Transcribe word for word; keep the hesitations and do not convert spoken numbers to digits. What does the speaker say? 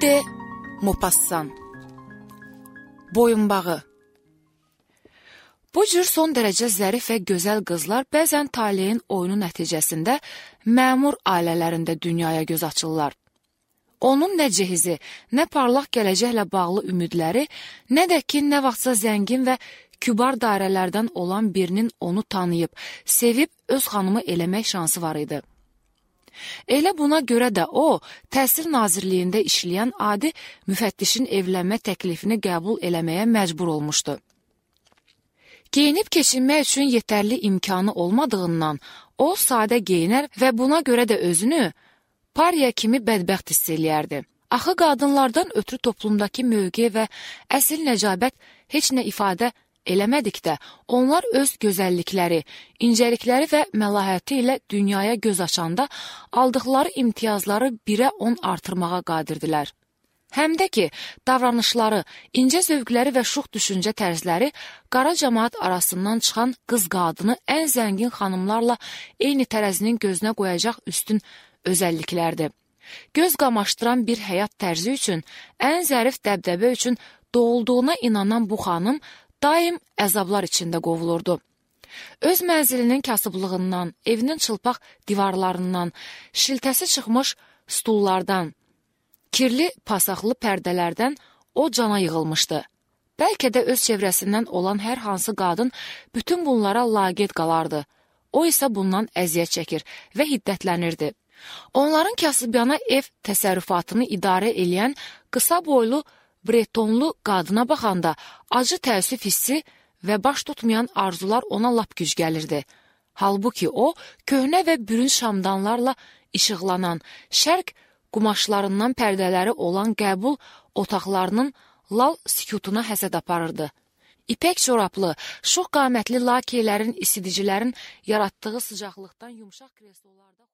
de Maupassant. Boyunbağı. Bu cür son dərəcə zərif və gözəl qızlar bəzən taleyin oyunu nəticəsində məmur ailələrində dünyaya göz açırlar. Onun nə cehizi, nə parlaq gələcəklə bağlı ümidləri, nə də ki, nə vaxtsa zəngin və kübar dairələrdən olan birinin onu tanıyıb, sevib öz xanımı eləmək şansı var idi. Elə buna görə də o, Təhsil Nazirliyində işləyən adi müfəttişin evlənmə təklifini qəbul eləməyə məcbur olmuşdu. Geyinib keçinmək üçün yetərli imkanı olmadığından, o sadə geyinər və buna görə də özünü pariya kimi bədbəxt hiss eləyərdi. Axı qadınlardan ötürü toplumdakı mövqe və əsl nəcabət heç nə ifadə eləmədikdə, onlar öz gözəllikləri, incəlikləri və məlahəti ilə dünyaya göz açanda aldıqları imtiyazları birə on artırmağa qadirdilər. Həm də ki, davranışları, incə zövqləri və şux düşüncə tərzləri qara cəmaat arasından çıxan qız-qadını ən zəngin xanımlarla eyni tərəzinin gözünə qoyacaq üstün özəlliklərdir. Göz qamaşdıran bir həyat tərzi üçün, ən zərif dəbdəbə üçün doğulduğuna inanan bu xanım daim əzablar içində qovulurdu. Öz mənzilinin kasıblığından, evinin çılpaq divarlarından, şiltəsi çıxmış stullardan, kirli pasaqlı pərdələrdən o cana yığılmışdı. Bəlkə də öz çevrəsindən olan hər hansı qadın bütün bunlara laqeyd qalardı. O isə bundan əziyyət çəkir və hiddətlənirdi. Onların kasıbyana ev təsərrüfatını idarə eləyən qısa boylu bretonlu qadına baxanda acı təəssüf hissi və baş tutmayan arzular ona lap güc gəlirdi. Halbuki o, köhnə və bürün şamdanlarla işıqlanan, şərq qumaşlarından pərdələri olan qəbul otaqlarının lal sükutuna həsəd aparırdı. İpək çoraplı, şux qamətli lakeylərin, isidicilərin yaratdığı sıcaqlıqdan yumşaq kreslolarda